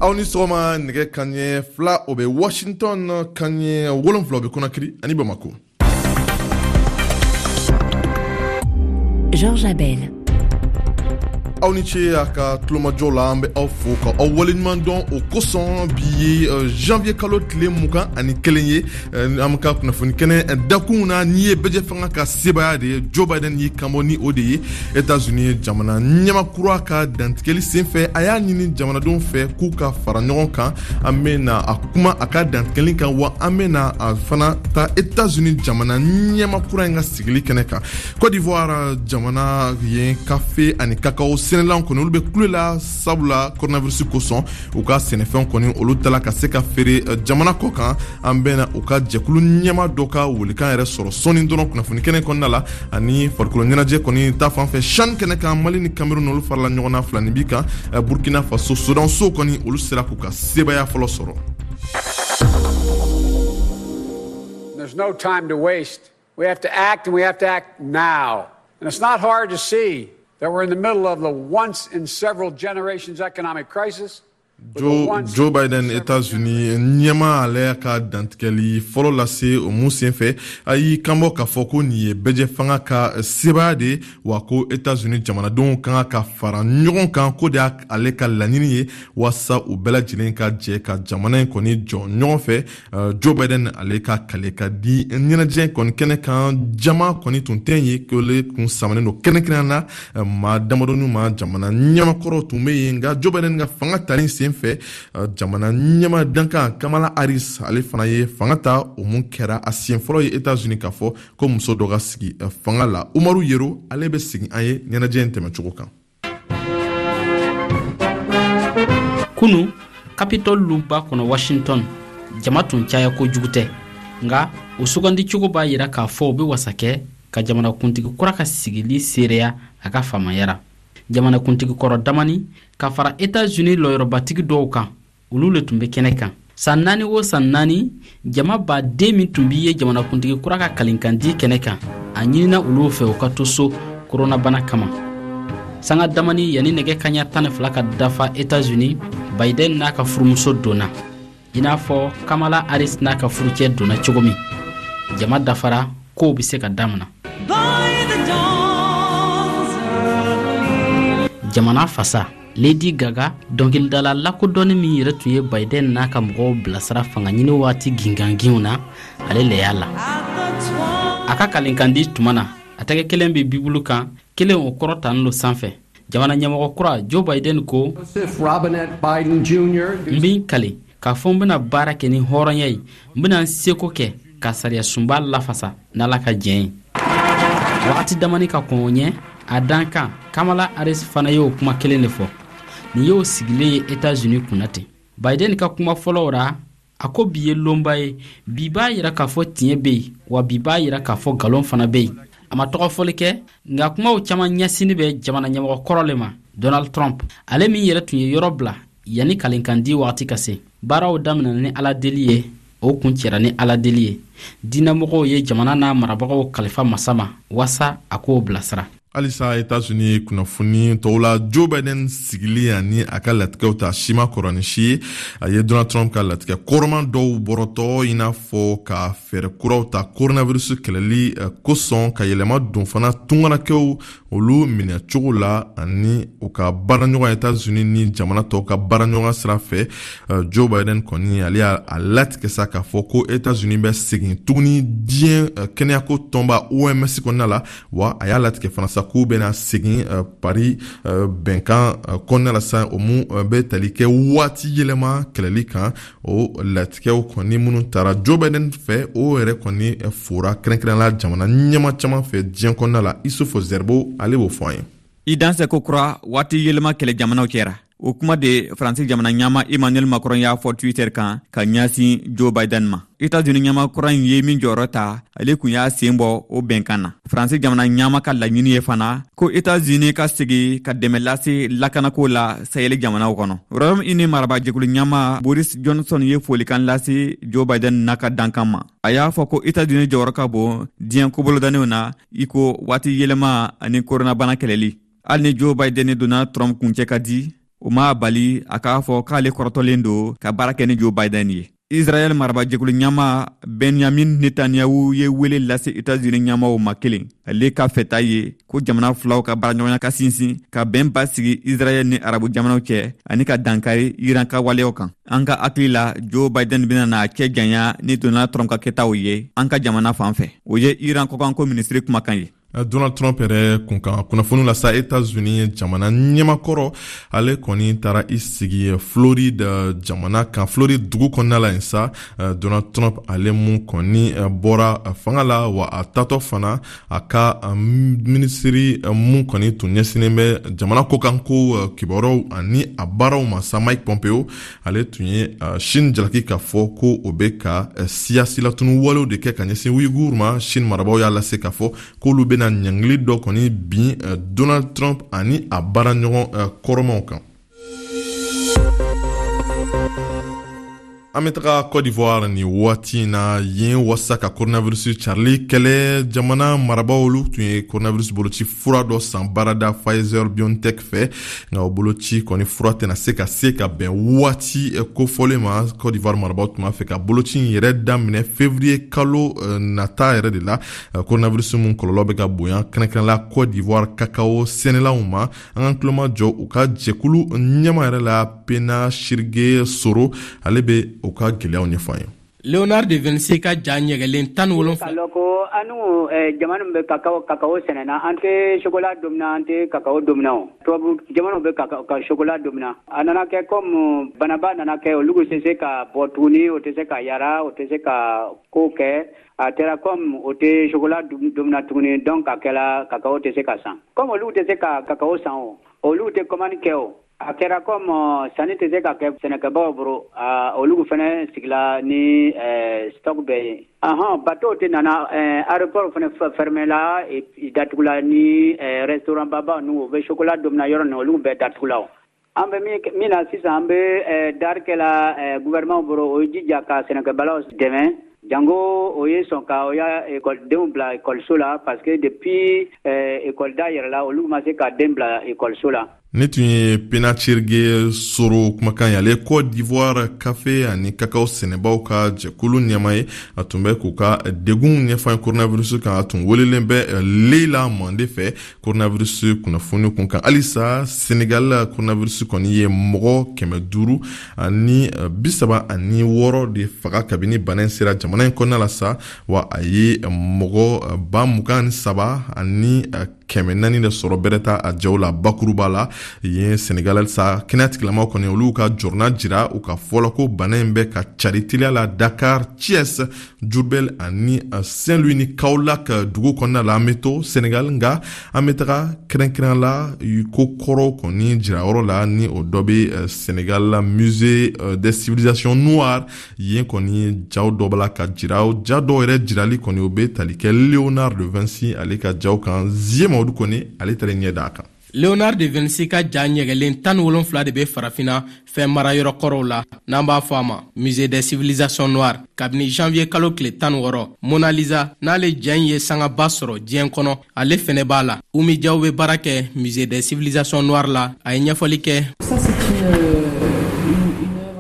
Aw ni sɔgɔma. Nɛgɛ kanɲɛ 2, o bɛ Washington, kanɲɛ 7, o bɛ Conakry ani Bamako. Georges Abel. Aw ni ce a ka tulomajɔ la. An bɛ aw fo ka aw waleɲuman dɔn. O kosɔn, bi ye janvier kalo tile 21 ye. An ka kunnafoni kɛnɛ dakunw na, n'i ye bɛjɛ fanga ka sebaya de ye, Joe Biden y'i kanbɔ ni o de ye Etats-Unis jamana ɲɛmakura ka dantigɛli senfɛ. A y'a ɲini jamanadenw fɛ k'u ka fara ɲɔgɔn kan. An bɛna a kuma a ka dantigɛli kan, wa an bɛna a fana ta Etats-Unis jamana ɲɛmakura in ka sigili kɛnɛ kan. Côte d'Ivoire jamana, yen kafe ani kakao sɛnɛlaw kɔni, olu bɛ kule la, sabula coronavirus kosɔn, u ka sɛnɛfɛnw kɔni, olu tala ka se ka feere jamana kɔ kan. An bɛna u ka jɛkulu ɲɛma dɔ ka welekan yɛrɛ sɔrɔ sɔɔni dɔrɔn kunnafoni kɛnɛ kɔnɔna la. Ani farikolo ɲɛnajɛ kɔni ta fan fɛ, CHAN kɛnɛ kan, Mali ni Cameroun, olu farala ɲɔgɔn na 2 ni bi kan. Burkina Faso sodanso kɔni, olu sera k'u ka sebaya fɔlɔ sɔrɔ. There's no time to waste. We have to act and we have to act now. And it's not hard to see that we're in the middle of the once in several generations economic crisis. Joe Biden, États-Unis ɲɛma, ale ka dantigɛli fɔlɔ lase. O mun senfɛ, a y'i kanbɔ k'a fɔ ko nin ye bɛjɛ fanga ka sebaya de ye, wa ko États-Unis jamanadenw kan ka fara ɲɔgɔn kan, ko de y'ale ka laɲini ye, waasa u bɛɛ lajɛlen ka jɛ ka jamana in kɔni jɔ ɲɔgɔn fɛ. Joe Biden, ale ka kale ka di ɲɛnajɛ kɔni kɛnɛ kan, jama kɔni tun tɛ ye, k'ole kun samanen don kɛrɛnkɛrɛnnenya na maa damadɔni ma. Jamana ɲɛmakɔrɔw tun bɛ yen, nka Joe Biden ka fanga talen sen fɛ, jamana ɲɛma dankan Kamala Harris, ale fana ye fanga ta. O mun kɛra a siɲɛ fɔlɔ ye États-Unis k'a fɔ ko muso dɔ ka sigi fanga la. Umaru Yero, ale bɛ segin an ye ɲɛnajɛ in tɛmɛcogo kan. Kunu, Capitol luba kɔnɔ Washington, jama tun caya kojugu tɛ, nka o sugandicogo b'a yira k'a fɔ o bɛ wasa kɛ ka jamanakuntigi kura ka sigili seereya a ka faamaya ra. Jamanakuntigi kɔrɔ damani ka fara Etats-Unis lɔyɔrɔbatigi dɔw kan, olu le tun bɛ kɛnɛ kan. San 4 o san 4, jama baden min tun b'i ye jamanakuntigi kura ka kalinkandi kɛnɛ kan, a ɲinina olu fɛ u ka to so koronabana kama. Sanga damani yanni nɛgɛ kaɲa 12 ka dafa Etats-Unis, Biden n'a ka furumuso donna, i n'a fɔ Kamala Harris n'a ka furucɛ donna cogo min. Jama dafara, kow bɛ se ka damina. Jamana fasa Lady Gaga, dɔnkilidala lakodɔnni min yɛrɛ tun ye Biden n'a ka mɔgɔw bilasira fangaɲini waati ginganginw na, ale le y'a la. A ka kalinkandi tuma na, a tɛgɛ kelen bɛ Bibulu kan, kelen o kɔrɔtanin lo sanfɛ. Jamana ɲɛmɔgɔ kura Joe Biden ko: "N bɛ n kali k'a fɔ n bɛna baara kɛ ni hɔrɔnya ye, n bɛna n seko kɛ ka sariya sunba lafasa n'Ala ka jɛn ye." Wagati damani ka kɔn o ɲɛ, a dankan Kamala Harris fana y'o kuma kelen de fɔ. Nin y'o sigilen ye Etats-Unis kunna ten. Biden ka kuma fɔlɔw ra, a ko bi ye lonba ye, bi b'a yira k'a fɔ tiɲɛ bɛ yen, wa bi b'a yira k'a fɔ nkalon fana bɛ yen. A ma tɔgɔ fɔli kɛ, nka kumaw caman ɲɛsinni bɛ jamana ɲɛmɔgɔ kɔrɔ le ma, Donald Trump, ale min yɛrɛ tun ye yɔrɔ bila yanni kalinkandi wagati ka se. Baaraw daminɛna ni Ala deli ye, o kuncɛra ni Ala deli ye. Diinɛmɔgɔw ye jamana n'a marabagaw kalifa masa ma waasa a k'o bilasira. Halisa Etats-Unis kunnafoni tɔw la, Joe Biden sigili ani a ka latigɛw ta si ma kɔrɔ ni si ye. A ye Donald Trump ka latigɛ kɔrɔman dɔw bɔrɔtɔ, i n'a fɔ ka fɛɛrɛ kuraw ta coronavirus kɛlɛli kosɔn, ka yɛlɛma don fana tungarakɛw olu minɛcogo la, ani u ka baaraɲɔgɔn Etats-Unis ni jamana tɔw ka baaraɲɔgɔn sira fɛ. Joe Biden kɔni, ale y'a latigɛ sa k'a fɔ ko Etats-Unis bɛ segin tuguni diɲɛ kɛnɛyako tɔnba OMS kɔnɔna la, wa a y'a latigɛ fana sa k'u bɛna segin Paris bɛnkan kɔnɔna la sa, o mun bɛ tali kɛ waati yɛlɛma kɛlɛli kan. O latigɛw kɔni minnu tara Joe Biden fɛ, o yɛrɛ kɔni fora kɛrɛnkɛrɛn la jamana ɲɛma caman fɛ diɲɛ kɔnɔna la. Isufu Zɛribo, ale b'o fɔ an ye. I dansɛ ko kura waati yɛlɛma kɛlɛ jamanaw cɛra, o kuma de Faransi jamana ɲama Emmanuel Macron y'a fɔ Twitter kan ka ɲɛsin Joe Biden ma. Etats-Unis ɲama kura in ye min jɔyɔrɔ ta, ale kun y'a sen bɔ o bɛnkan na. Faransi jamana ɲama ka laɲini ye fana ko Etats-Unis ka segi ka dɛmɛ lase lakanako la Sahel jamanaw kɔnɔ. Royaume-Uni marabajɛkulu ɲama Boris Johnson ye folikan lase Joe Biden n'a ka dankan ma. A y'a fɔ ko Etats-Unis jɔyɔrɔ ka bon diɲɛ kobolodannenw na, i ko waati yɛlɛma ani koronabana kɛlɛli. Hali ni Joe Biden ni Donald Trump kuncɛ ka di. O m'a bali a k'a fɔ k'ale kɔrɔtɔlen don ka baara kɛ ni Joe Biden ye. Israɛl marabajɛkulu ɲɛmaa Benyamin Netanyahu ye wele lase Etats-Unis ɲɛmaaw ma kelen. Ale ka fɛta ye ko jamana filaw ka baaraɲɔgɔnya ka sinsin, ka bɛn basigi Israɛl ni arabu jamanaw cɛ ani ka dankari Iran ka waleyaw kan. An ka hakili la, Joe Biden bɛna n'a cɛ janya ni Donald Trump ka kɛtaw ye an ka jamana fan fɛ. O ye Iran kɔkanko minisiri kumakan ye. Donald Trump yɛrɛ kunkan kunnafoni la sa, Etats-Unis jamana ɲɛmakɔrɔ, ale kɔni taara i sigi Floride jamana kan, Floride dugu kɔnɔna la yen sa. Donald Trump, ale mun kɔni bɔra fanga la, wa a tatɔ fana, a ka minisiri mun kɔni tun ɲɛsinnen bɛ jamana kɔkanko kibaruyaw ani a baaraw ma sa, Mike Pompeo, ale tun ye Chine jalaki k'a fɔ ko o bɛ ka siya silatunu walew de kɛ ka ɲɛsin Uyghur ma. Chine marabaaw y'a lase k'a fɔ k'olu bɛna ɲangili dɔ kɔni bin Donald Trump ani a baaraɲɔgɔn kɔrɔmaw kan. An bɛ taga Cote d'Ivoire nin waati in na. Yen, wasa ka coronavirus carili kɛlɛ, jamana marabaaw, olu tun ye coronavirus boloci fura dɔ san baarada Pfizer BioNTech fɛ, nka o boloci kɔni fura tɛna se ka se ka bɛn waati kofɔlen ma. Cote d'Ivoire marabaaw tun b'a fɛ ka boloci in yɛrɛ daminɛ février kalo nata yɛrɛ de la. Coronavirus mun kɔlɔlɔ bɛ ka bonya, kɛrɛnkɛrɛn la Cote d'Ivoire kakao sɛnɛlaw ma, an ka tulomajɔ u ka jɛkulu ɲɛma yɛrɛ la, Pena Sirige Soro, ale bɛ u ka gɛlɛyaw ɲɛfɔ an ye. Leonard de Vinci ka ja ɲɛgɛlen 17. K'a lɔn ko anu jamana min bɛ kakao sɛnɛna, an tɛ chocolat domina, an tɛ kakao domina. O tubabu jamanaw bɛ ka chocolat domina. A nana kɛ comme banaba nana kɛ, olu tɛ se ka bɔ tuguni, o tɛ se ka yara, o tɛ se ka ko kɛ. A kɛra comme o tɛ chocolat domina tuguni, donc a kɛra kakao tɛ se ka san. Comme olu tɛ se ka kakao san, o olu tɛ commande kɛ. O a kɛra comme sanni tɛ se ka kɛ sɛnɛkɛbaaw bolo, olu fana sigila ni stock bɛɛ ye. Ahɔn, bateau tɛ nana, aéroport fana fermé la, datugula, ni restaurant baba ninnu, o bɛ chocolat domina yɔrɔ ninnu, olu bɛɛ datugula. O an bɛ min na sisan, an bɛ dari kɛla gouvernement bolo, o ye jija ka sɛnɛkɛbalaw dɛmɛ, jango o ye sɔn ka o ya ekɔlidenw bila ekɔliso la, parce que depuis ekɔli da yɛrɛ la, olu ma se ka den bila ekɔliso la. Ni tun ye Penachirge Soro kumakan ye. Ale Côte d'Ivoire kafe ani kakao sɛnɛbaw ka jɛkulu ɲɛma ye. A tun bɛ k'u ka degun ɲɛfɔ ye coronavirus kan. A tun welelen bɛ Leila Mande fɛ coronavirus kunnafoni kun kan. Halisa Senegal, coronavirus kɔni ye mɔgɔ 536 de faga kabini bana in sera jamana in kɔnɔna la sa, wa a ye mɔgɔ 23,400 de sɔrɔ bɛrɛ ta a jaw la bakuruba la yen Senegal sa. Kɛnɛya tigilamaw kɔni, olu ka jɔrɔna jira u ka fɔ la ko bana in bɛ ka cari teliya la Dakar, Thiès, Diourbel ani Saint-Louis ni Kaolack dugu kɔnɔna la. An bɛ to Senegal, nka an bɛ taga kɛrɛnkɛrɛn la ko kɔrɔw kɔni jirayɔrɔ la, ni o dɔ bɛ Senegal la, Musée des civilisations noires. Yen kɔni, jaw dɔ b'a la ka jira. Ja dɔw yɛrɛ jirali kɔni, o bɛ tali kɛ Leonard de Vinci ale ka jaw kan. Zie Mamadu kɔni, ale taara ɲɛ da a kan. Leonard de Vinci ka ja ɲɛgɛlen 17 de bɛ Farafina fɛn marayɔrɔ kɔrɔw la, n'an b'a fɔ a ma Musée des civilisations noires, kabini janvier kalo tile 16. Mona Lisa, n'ale ja in ye sangaba sɔrɔ diɲɛ kɔnɔ, ale fɛnɛ b'a la. Umi Jaw bɛ baara kɛ Musée des civilisations noires la. A ye ɲɛfɔli kɛ.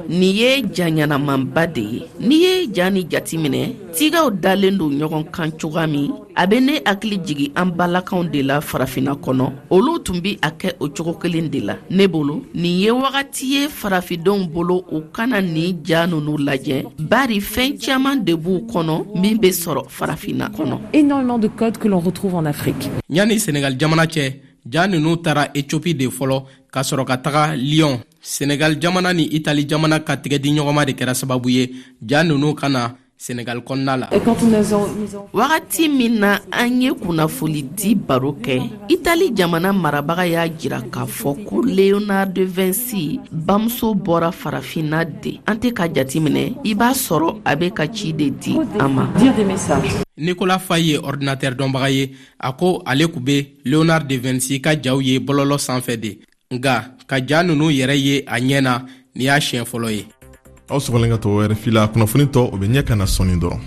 Nin ye ja ɲɛnamanba de ye. N'i ye ja ni jatiminɛ, tigaw dalen don ɲɔgɔn kan cogoya min, a bɛ ne hakili jigi an balakaw de la Farafina kɔnɔ. Olu tun bɛ a kɛ o cogo kelen de la. Ne bolo, nin ye wagati ye farafindenw bolo u kana nin ja ninnu lajɛ, bari fɛn caman de b'u kɔnɔ min bɛ sɔrɔ Farafina kɔnɔ. Énormément de codes que l'on retrouve en Afrique. Yanni Senegal jamana cɛ, ja ninnu taara Ethiopie de fɔlɔ, ka sɔrɔ ka taga Lyon. Senegal jamana ni Itali jamana ka tigɛdiɲɔgɔnma de kɛra sababu ye ja ninnu ka na Senegal kɔnɔna la. Wagati min na an ye kunnafoni di baro kɛ, Itali jamana marabaga y'a jira k'a fɔ ko Leonardo de Vinci bamuso bɔra Farafinna de. An tɛ ka jateminɛ, i b'a sɔrɔ a bɛ ka ci de di an ma. Nicolas Faye ye ordinateur dɔnbaga ye. A ko ale tun bɛ Leonard de Vinci ka jaw ye bɔlɔlɔ sanfɛ de, nka ka ja ninnu yɛrɛ ye a ɲɛ na, nin y'a siɲɛ fɔlɔ ye. Aw sɔgɔlen ka to RFI la. Kunnafoni tɔ, o bɛ ɲɛ ka na sɔɔni dɔrɔn.